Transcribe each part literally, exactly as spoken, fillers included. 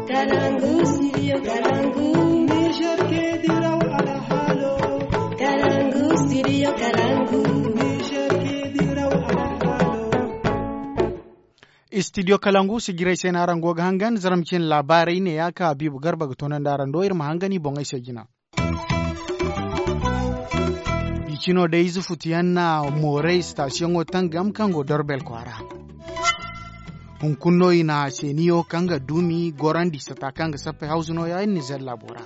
Kalangu, studio Kalangu. Niger ke diraw alhalo. Kalangu, studio Kalangu. Niger ke diraw alhalo. Studio Kalangu, sijiray se no araŋ go ga hangan, zarma cine laabaarey ne ya ka Habiibu Garba ga toonandi araŋ do, iri ma hangan i boŋey se jina. Bicino day ize futuyaŋ na mooray sitasiyoŋo tangam kaŋ go Dorbel kwaara. Hunkuna no i na seeniyo kaŋ ga duumi gorandi sata kaŋ ga sappey hawzu nooya iri Nizer laabo ra.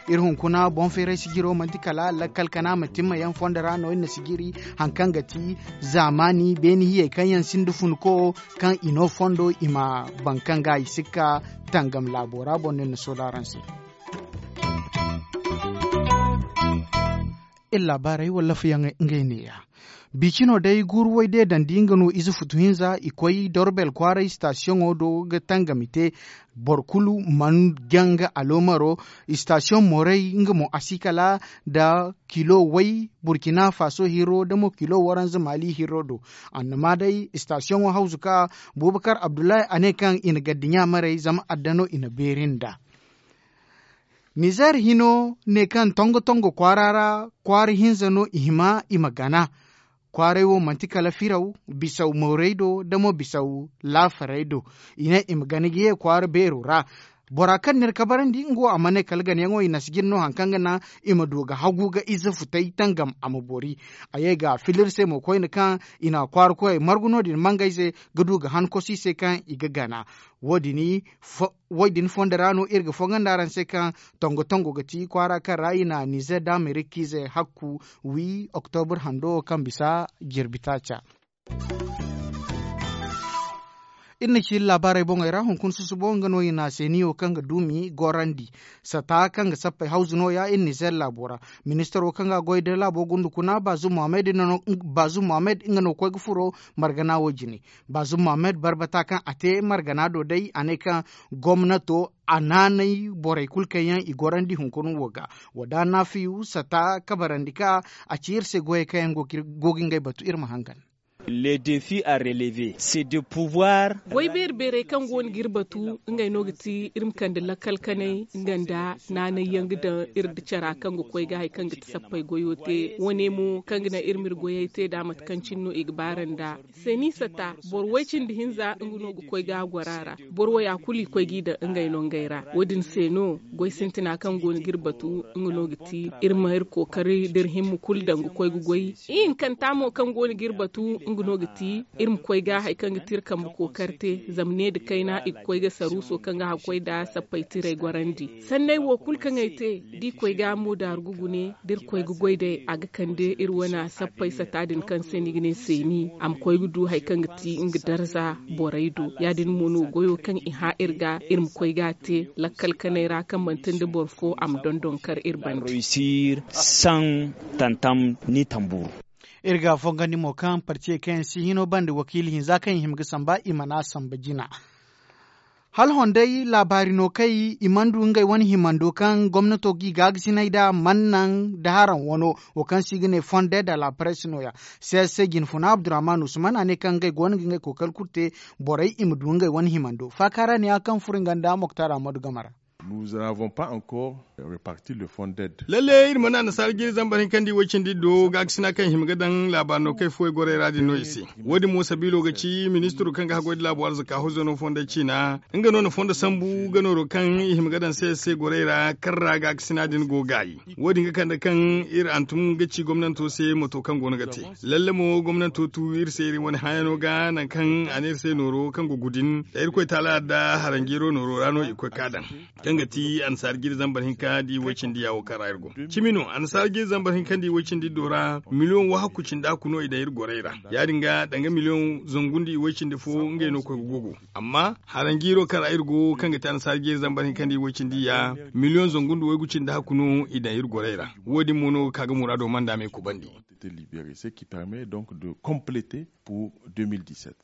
Iri hunkuna boŋ feeray sijiro manti kala lakkal kana ma timma yaŋ fondo ra no iri na sijiri haŋ kaŋ ga ti zaamaani beene hiyey kaŋ yaŋ sinda funko kaŋ i no fondo i ma baŋ kaŋ ga i sikka tangam laabo ra boŋ no iri na soola araŋ se. Iri laabaarey wala lafayaŋ ngey neeya. Bicino day guuru way deedandi nga no ize futu hinza i koy dorbel kwaaray sitasiyoŋo do ga tangam i te. Boro kulu mana janga aloomaro. Sitasiyoŋ moorey nga mo a si kala nda kilo way burkina faso hiro nda mo kilo waranza mali hiro do. Annama day sitasiyoŋo hawzu ka bubakar abdullahi a ne kaŋ i na gaddiɲa maray zama adda no i na beeri nda. Nizer hino ne kaŋ tongo-tongo kwaara ra kwaara hinza no i hima i ma gana. Kwaaray wo manti kala firaw bisaw moorey do nda mo bisaw laafarey do. I ne i ma gana ga ye kwaara beero ra. Bora kaŋ n'iri kabarandi nga wo a mana ne kala ganayaŋo i na si jin no haŋ kaŋ ga naŋ i ma du ga hagu ga ize futay tangam a ma boori. A ye ga fila iri se mo koyne kaŋ i na kwaara koyey margu no- din mangayze ga du ga han kosi se kaŋ i ga gana. Wo- din fondo ra no iri ga fongandi araŋ se kaŋ tongo-tongo ga ti kwaara kaŋ ra i na nizer da amerika ize hakku wi oktobur hando kaŋ bisa jirbi taaca. Iri na ci iri laabaarey boŋey ra hunkuna susubo nga no i na seeniyo kaŋ ga duumi gorandi sata kaŋ ga sappey hawzu nooya iri nizer laabo ra. Ministaro kaŋ ga goy da laabo gundukuna bazu muhammad nga no koy ga furo margana wo jine. Bazu muhammad barbata kaŋ a te margana do day a ne kaŋ gomnato a naanay borey kulu kaŋ yaŋ i gorandi hunkuna wo ga. Wada nafiyu sata kabarandi ka a ci iri se goyey kaŋ yaŋ go ga ngey batu iri ma hangan. Le defi a releve se de pouvoir. Goy beeri beerey kaŋ go no ga iri batu ngey no ga ti iri ma kande lakkal kanay nga nda naanay yaŋ ga daŋ iri nda cara kaŋ ga koy ga hari kaŋ ga ti sappey goyo te wane mo kaŋ ga naŋ iri ma iri goyey te nd'a mate kaŋ cine no i ga baara nd'a. Seeni sata boro way cindi hinza nga no ga koy ga a goro a ra. Boro waya kulu i koy g'i daŋ ngey no ngey ra. Wo- din se no goy sintina kaŋ go no ga iri batu nga no ga ti iri ma iri kookari da iri himma kulu daŋ ga koy ga goy. Ihinkanta mo kaŋ go no ga iri batu nga no ga ti iri ma koy ga hari kaŋ ga ti iri kambe kookari te zama ne nda kayna i ga koy ga saruuso kaŋ ga hakkoy nda sappey tirey gorandi. Sanney wo kulu kaŋ ay te da i koy ga mo daaru ga gune da iri koy ga goy day a ga kande iri wane sappey sata din kaŋ se ni ga ne seeni a ma koy ga du hari kaŋ ga ti nga darza borey do. Ya- din mo no goyo kaŋ i hã iri ga iri ma koy ga a te lakkal kanay ra kaŋ manti nda boro fo a ma dondon kar iri banda. Réussir sans tantam ni tamburu. Iri ga fongandi mo kaŋ parti kaŋ yaŋ si hino banda wakiili hinza kaŋ i hima ga samba i mana samba jina. Hala honday laabaari no kay i mana du ngey wane himando kaŋ gomnato g'i gaagasinay nd'a mana naŋ da haraŋ wano wo kaŋ se i ga ne fonde da la presse no- ya. Seese jinfuna abdurrahman usman a ne kaŋ ngey go no ga ngey kookari kulu te borey i ma du ngey wane himando faaka ra ne ya kaŋ furo nga nda moktar ahmadu game ra. Nous n'avons pas encore reparti le fonds d'aide. Lalle iri mana annasaara jiiri zambar hinka nda i way cindi do gaakasina kaŋ i hima ga daŋ laabaari no kaŋ ay fuwey gorey ra din no i se. Wo- din mo sabiilo ga ci ministiro kaŋ ga haggoy nda laabo arzaka hozano fonday ciina nga no na fondo sambu ga nooro kaŋ i hima ga daŋ se se gorey ra kaŋ ra gaakasina din go gaayi. Wo- din ga kande kaŋ iri hantum ga ci gomnanto se moto kaŋ go no ga te. Lalle mo gomnanto tu iri se iri wane hãyano ga nangu kaŋ a ne iri se nooro kaŋ go gudin da irkoy taala adda haranjeero nooro ra no i koy ka daŋ. Kaŋ ga ti annasaara jiiri zambar hinka da i way cindi yaawo kaŋ ra iri go. Cimi no annasaara jiiri zambar hinka da i way cindi do ra miliyoŋ wahakku cindi hakku no i daŋ iri gorey ra. Ya- din ga danga miliyoŋ zangu nda i way cindi fo ngey no koy ga gogo. Amma haranjiiro kaŋ ra iri go kaŋ ga ti annasaara jiiri zambar hinka nda i way cindi ya miliyoŋ zangu nda waygu cindi hakku no i daŋ iri gorey ra. Wo- din mo no ga ka ga muraado manda me kubandi. Été libéré ce qui permet donc de compléter pour deux mille dix-sept.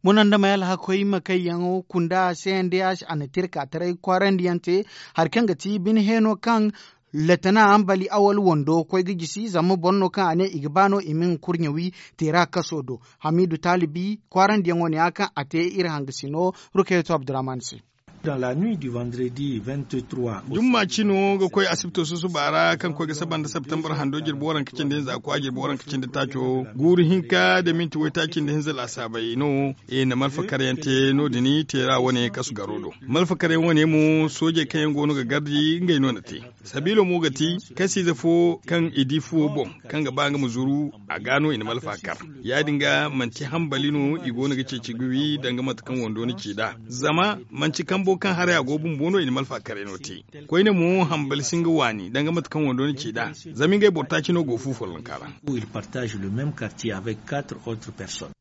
Munandamey alhakoy ma kayyaŋo kunda cndh a na tirka taray kwaarandi yaŋ te hari kaŋ ga ti bine heeno kaŋ letana ambali awal wando koy ga jisi zama boro no kaŋ a ne i ga ba no i ma nga kurɲe wi teera kaso do. Hamidu taalibi kwaarandi yaŋo ne ya kaŋ a te iri hangasino rukayeto abdurrahman se. Dans la nuit du vendredi vingt-trois au jumma cino ga koy asibto susuba ra kaŋ koy ga saba nda septembre hando jirbi waranka cindi hinza kwa jirbi waranka cindi taaco guuru hinka da minti waytaaci nda hinza laasaabey no i na malfakaryaŋ te no- din teera wane kasu garo do. Malfakaryaŋ wane mo soojey kaŋ yaŋ go no ga gardi ngey no na te. Sabiilo mo ga ti kasiize fo kaŋ i di fuwo boŋ kaŋ ga ba nga ma zuru, a ga no i na malfa kar. Ya- din ga manti hambali no i go no ga ceeci ga wi danga mate kaŋ wando na ci nd'a. Zama manti kambo kaŋ haray a go bumbo no i na malfa karay no te. Koyne mo hambali si nga waani danga mate kaŋ wando na ci nd'a. Zama ngey boro taaci no go fu follonka ra. Ils partagent le même quartier avec quatre autres personnes.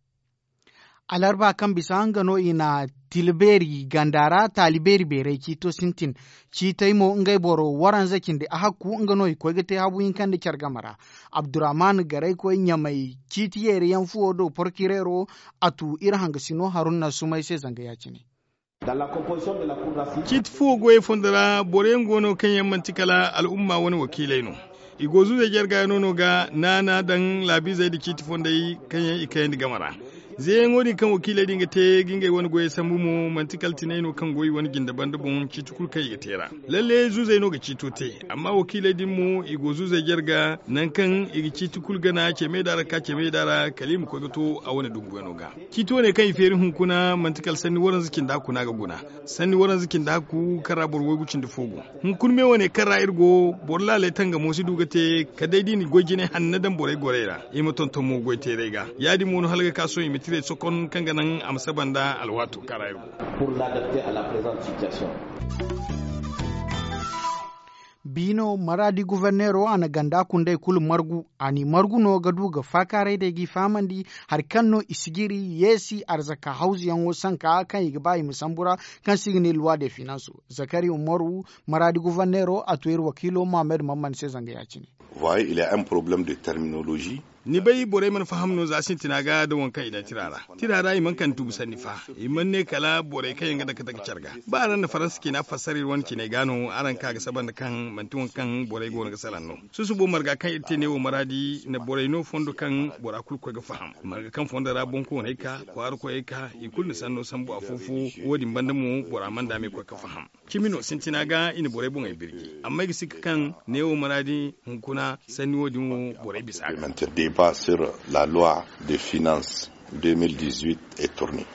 Alarba kaŋ bisa nga no i na tila beeri ganda ra taali beeri beeray ciito sintin. Ciitey mo ngey boro waranza cindi ahakku nga no i koy ga te habu hinka nda care game ra. Abdurrahman garaykoy ɲamay ciiti yeeri yaŋ fuwo do porkireero. A tu iri hangasino haruna sumay se zanga ya- cine. Ciiti fuwo goyey fondo ra boro yaŋ go no kaŋ yaŋ manti kala al'umma wane wakiiley no. I go zuuzey jarga yaŋ no no ga naana daŋ laabiizey nda ciiti fondey kaŋ yaŋ i kayandi game ra. Zeeyaŋo din kaŋ wakiiley din ga te ga ngey wane goyey sambu mo manti kala tinay no kaŋ go i wane jinde banda boŋ ciiti kulu kaŋ i ga te ra. Lalle zuuzey no ga ciito te. Amma wakiiley din mo i go zuuzey jarga nangu kaŋ i ga ciiti kulu gana ce meeda ra ka ce meeda ra kala i ma koy ga to a wane dumbuyaŋo ga. Ciiti wane kaŋ i feeri hunkuna manti kala sanni waranza cinda kuna ga guna. Sanni waranza cinda hakku kaŋ ra boro waygu cindi fo go. Hunkuna me wane kaŋ ra iri go boro laaley tangamo si du ga te kala day da i na goy jinay hanno daŋ borey gorey ra. I ma tonton mo goy teerey ga ya- din mo no hala ga ka sohõ i ma tirey sokon kaŋ ga naŋ a ma saba nda alwaato kaŋ ra iri go. Biino maraadi guverneero a na ganda kundey kulu margu. A n'i margu no ga du ga faakaaray day g'i fahamandi hari kaŋ no i si jiri yeesi arzaka hawzuyaŋo sanka kaŋ i ga ba i ma sambu ra kaŋ se i ga ne luwa de finanso. Zakari umaru maraadi guverneero a to iri wakiilo mohammed mamman se zanga ya- cine. Ni bay borey mana faham no za sintina ga da waŋ kaŋ i daŋ tira ra. Tira ra i mana kande tubu sanni fa. I mana ne kala borey kaŋ yaŋ ga dake dake care ga ba araŋ na faransa cina fassara iri wane ciney ga no araŋ ka ga saba nda kaŋ manti waŋ kaŋ borey go no ga salaŋ no. Susubo marga kaŋ iri te ne wo maraadi na borey no fondo kaŋ bora kulu koy ga faham marga kaŋ fondo ra boŋkooney ka kwaara koyey ka i kulu na sanno sambu afo fo. Wo- din banda mo bora mana daame koy ga faham. Cimi no sintina ga i na borey boŋey birji amma ay ga sikka kaŋ neewo maraadi hunkuna sanni wo- din wo borey bisa ga. Deba sur la loi de finance deux mille dix-huit et tourni.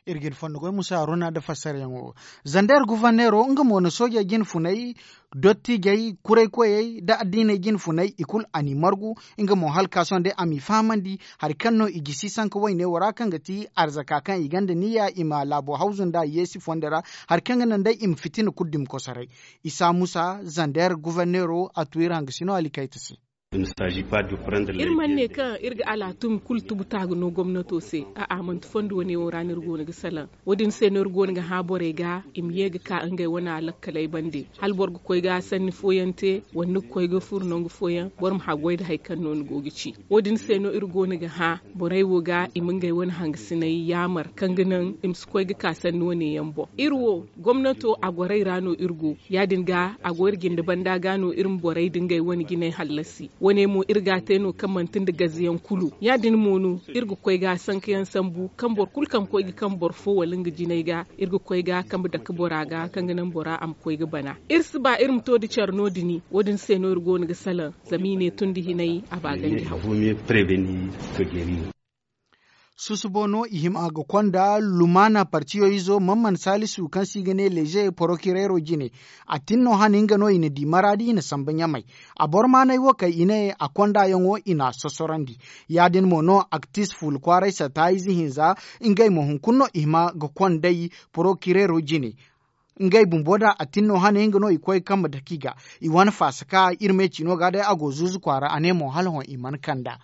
Iri ga iri fondo goy musa haruna nda fassarayaŋo. Zander guverneero nga mo na soojey jine funay dottijey kuraykoyey nda addiiney jine funay i kulu a n'i margu. Nga mo hala ka sohõ day a m'i fahamandi hari kaŋ no i gisi sanka wayne wo ra kaŋ ga ti arzaka kaŋ i gonda niyya i ma laabo hawzu nd'a yeesi fondo ra hari kaŋ ga naŋ day i ma fitina kulu dumi kosoray. Isa musa zander guverneero a tu iri hangasino alikayta se. Iri mana ne kaŋ iri ga alaatum kulu tubu taaga no gomnato se. A'a manti fondo wane wo ra no iri goono ga salaŋ. Wo- din se no iri goono ga hã borey ga i ma ye ga ka ngey wane alakkaley bande hala boro ga koy ga sanni fooyaŋ te wala ni ga koy ga furo nangu fooyaŋ boro ma haggoy nda hari kaŋ no ni go ga ci. Wo- din se no iri goono ga hã borey wo ga i ma ngey wane hangasiney yaamar kaŋ ga naŋ i ma si koy ga ka sanni wane yaŋ boŋ. Iri wo gomnato a gorey ra no iri go. Ya- din ga a go iri jinde banda ga no iri ma borey nda ngey wane jinay hallasi. Wane mo iri ga a te no kaŋ manti nda gaziyaŋ kulu ya- din mo no iri ga koy ga sankayaŋ sambu kaŋ boro kulu kaŋ koy ga kambe boro fo wala nga jinay ga iri ga koy ga kambe dake bora ga kaŋ ga naŋ bora a ma koy ga bana. Iri si ba iri ma to nda care no- din. Wo- din se no iri go no ga salaŋ zama i ne tun nda hinay a ba ganji haw. Susubo no i hima ga konda lumaana partiyo izo mamman salisu kaŋ se i ga ne leeze porokireero jine. A tin no hane nga no i na di maraadi i na samba ɲamay. A boro maanay wo kay i ne a kondayaŋo i n'a sosorandi. Ya- din mo no aktis fuula kwaaray satta ize hinza. Ngey mo hunkuna no i hima ga konday porokireero jine. Ngey bumbo da a tin no hane nga no i koy kambe dake i ga. I wane faasa ka iri me ciino ga day a go zuuzu kwaara a ne mo hala hõ i mana kand'a.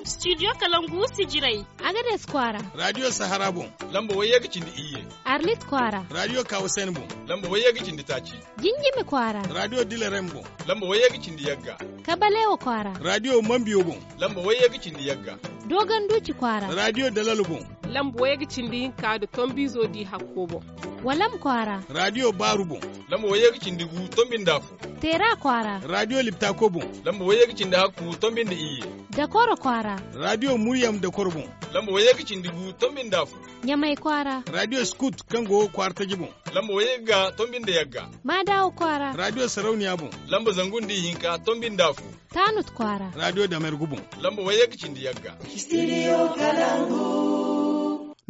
Studio kalangu sijirey. Agades kwaara. Radiyo sahara boŋ. Lamba wayye ga cindi iyye. Arlit kwaara. Radiyo kawasen boŋ. Lamba wayye ga cindi taaci. Jinjimi kwaara. Radiyo dilarem boŋ. Lamba wayye ga cindi yagga. Kabalewa kwaara. Radiyo mambiyo boŋ. Lamba wayye ga cindi yagga. Dogon duci kwaara. Radiyo dalalo boŋ. Lamba wayye ga cindi hinka nda tombizo di hakko boŋ. Walam kwaara. Radiyo baaru boŋ. Lamba wayye ga cindi gu tombi nda afo. Teera kwaara. Radiyo liptako boŋ. Lamba wayye ga cindi hakku tombi nda iyye. Dakoro kwaara. Radiyo muryam dakoro boŋ. Lamba wayye ga cindi gu tombi nda afo. Ɲamay kwaara. Raadiyo skut kaŋ go kwaara taji boŋ. Lamba wayye ga tonbi nda yagga. Maadawa kwaara. Raadiyo sarauniya boŋ. Lamba zangu nda ihinka tonbi nda afo. Taanut kwaara. Raadiyo damergu boŋ. Lamba wayye ga cindi yagga.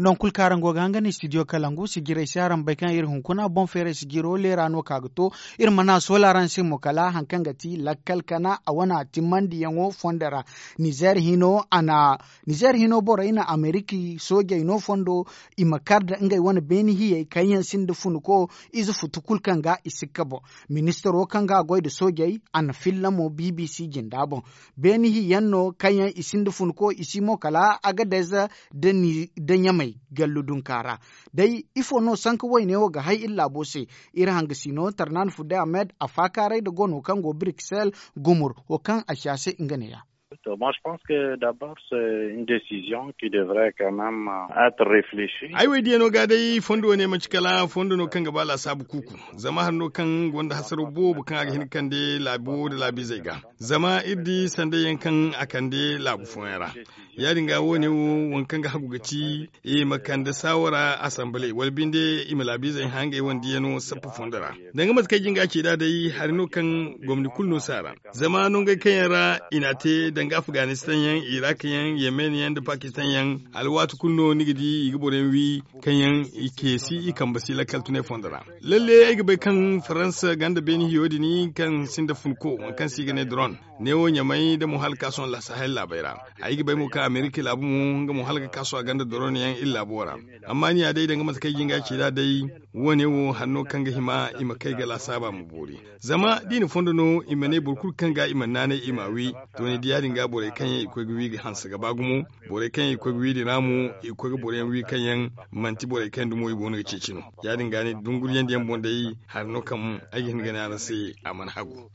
Nangu kulu kaŋ araŋ go ga hangan studio kalangu sijirey se araŋ bay kaŋ iri hunkuna boŋ feeray sijiro leera no ka ga to. Iri mana soola araŋ se mo kala hari kaŋ ga ti lakkal kana a wane a timmandiyaŋo fondo ra. Nizeer hino a na nizeer hino borey na ameriki soojey no fondo i ma kar nda ngey wane beeni hiyey kaŋ yaŋ sinda funko ize futu kulu kaŋ ga i sikka boŋ. Ministaro kaŋ ga a goy nda soojey a na filla mo bbc jinda boŋ. Beeni hiyaŋ no kaŋ yaŋ i sinda funko i si mo kala agadez nda ɲamey gallu dunka ra. Day ifo no sanka woyne wo ga hay iri laabo se? Iri hangasino tarnaan fudde ahmed a faakaaray nda gono kaŋ go briksel gumur wo kaŋ a si a se nga ne ya. Moi je pense que d'abord c'est une décision qui devrait quand même être réfléchie. Ay wo ay diya no ga day fondo wo ne manci kala fondo no kaŋ ga ba laasaabu kuuku. Zama hari no kaŋ gonda hasaro boobo kaŋ a ga hin ga kande laabi wo nda laabiizey ga. Zama iri di sanday yaŋ kaŋ a kande laabu fooyaŋ ra. Ya- din ga wo- ne wo waŋ kaŋ ga hagu ga ci i ma kande saawara asamble wala binde i ma laabiizey hã ngey wane diyano sappa fondo ra. Danga mate kaŋ ay jin ga a ci nd'a day hari no kaŋ gomni kulu no si a ra. Zama nongey kaŋ yaŋ ra i n'a te danga afganistan yaŋ, iraq yaŋ, yemen yaŋ nda pakistan yaŋ, alwaati kulu no ni ga di i ga boroyaŋ wi kaŋ yaŋ i ceesi i kambe si lakkal tunay fondo ra. Lalle ay ga bay kaŋ faransa gonda beeni hiyo din kaŋ sinda funko waŋ kaŋ se i ga ne dron. Neewo ɲamay nda mo hala ga ka sohõ laasa hari laabey ra. Ay ga bay mo kaŋ amerika laabu mo nga mo hala ga ka sohõ a gonda dron yaŋ iri laabo ra. Amma ni ya day danga mate kaŋ ay ga hin ga a ci nd'a day, wo- ne wo hari no kaŋ ga hima i ma kay ga laasaaba ma boori. Zama da i na fondo no i ma ne boro kulu kaŋ ga i mana naanay i m'a wi. To ni di ya- din ga borey kaŋ yaŋ i koy ga wi ga hanse ga ba gumo. Borey kaŋ yaŋ i koy ga wi din ra mo i ga koy ga boroyaŋ wi kaŋ yaŋ manti borey kaŋ yaŋ dumo i go no ga ceeci no. Ya- din ga ni dunguriyandiyaŋ boŋ day hari no kaŋ ay ga hin ga ne araŋ se a mana hagu.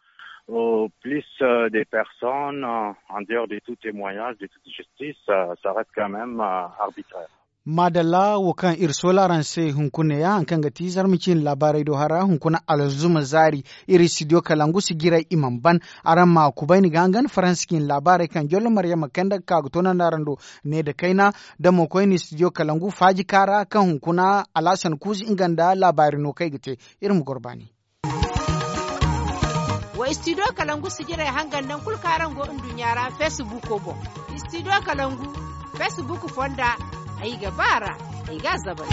Plus des personnes en dehors de tout témoignage de toute justice, ça reste quand même arbitraire. Maadalla wo kaŋ iri soola araŋ se hunkuna ya hari kaŋ ga ti zarma ciine laabaarey do hara hunkuna alzuma zaari. Iri studio kalangu si jiray i mana ban. Araŋ ma kubayni ga hangan faransa ciine laabaarey kaŋ jollo maryama kayna ga ka ga toonandi araŋ do. Ne nda kayna da mo koyne studio kalangu faaji kaara kaŋ hunkuna alhasan kuuzi nga nda laabaari no kaŋ ay ga te. Iri ma goro baani. Wa studio kalangu sijirey hangan nangu kulu kaŋ araŋ go nduɲɲa ra facebook boŋ. Studio kalangu facebook fonda. Ay ga ba ra ay ga a zabari.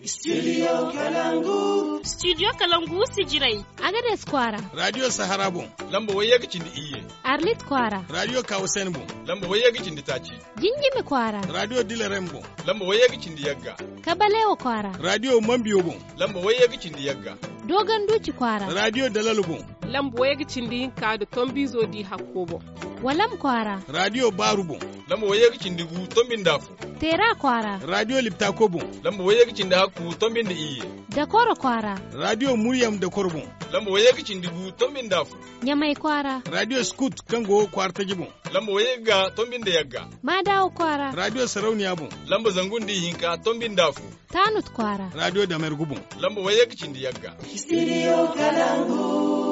Studio kalangu. Studio kalangu sijirey. Agades kwaara. Radio sahara boŋ. Lamba wayye ga cindi iyye. Arlit kwaara. Radio kawasen boŋ. Lamba wayye ga cindi taaci. Jinjimi kwaara. Radio dilarem boŋ. Lamba wayye ga cindi yagga. Kabalewa kwaara. Radio mambiyo boŋ. Lamba wayye ga cindi yagga. Dogon duci kwaara. Radio dalalo boŋ. Lamba wayye ga cindi hinka nda tombizo di hakko boŋ. Walam kwaara. Radio baaru boŋ. Lamba wayye ga cindi gu tombi nda afo. Teera kwaara. Radio liptako boŋ. Lamba wayye ga cindi hakku tombi nda iyye. Dakoro kwaara. Radio muryam dakoro boŋ. Lamba wayye ga cindi gu tombi nda afo. Ɲamay kwaara. Radio skut kaŋ go kwaara taji boŋ. Lamba wayye ga tombi nda yagga. Maadawa kwaara. Radio sarauniya boŋ. Lamba zangu nda ihinka tombi nda afo. Taanut kwaara. Radio damergu boŋ. Lamba wayye ga cindi yagga. Studio kalangu.